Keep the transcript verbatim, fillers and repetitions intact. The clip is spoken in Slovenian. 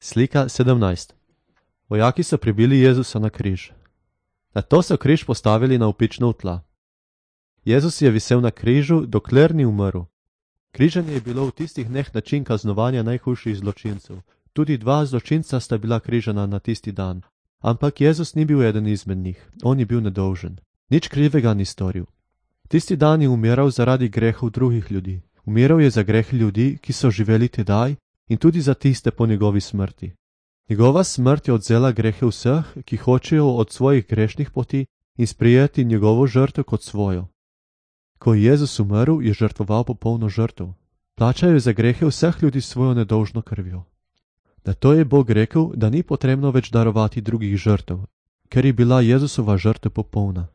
Slika sedemnajst. Vojaki so pribili Jezusa na križ. Nato so križ postavili na opično tla. Jezus je visel na križu, dokler ni umrl. Križanje je bilo v tistih dneh način kaznovanja najhujših zločincev. Tudi dva zločinca sta bila križana na tisti dan. Ampak Jezus ni bil eden izmed njih, on je bil nedolžen. Nič krivega ni storil. Tisti dan je umiral zaradi grehov drugih ljudi. Umiral je za greh ljudi, ki so živeli tedaj, in tudi za tiste po njegovi smrti. Njegova smrt je odzela grehe vseh, ki hočejo od svojih grešnih poti in sprijeti njegovo žrtev kot svojo. Ko je Jezus umrl, je žrtvoval popolno žrtev. Plačal je za grehe vseh ljudi svojo nedolžno krvjo. Nato je Bog rekel, da ni potrebno več darovati drugih žrtev, ker je bila Jezusova žrtev popolna.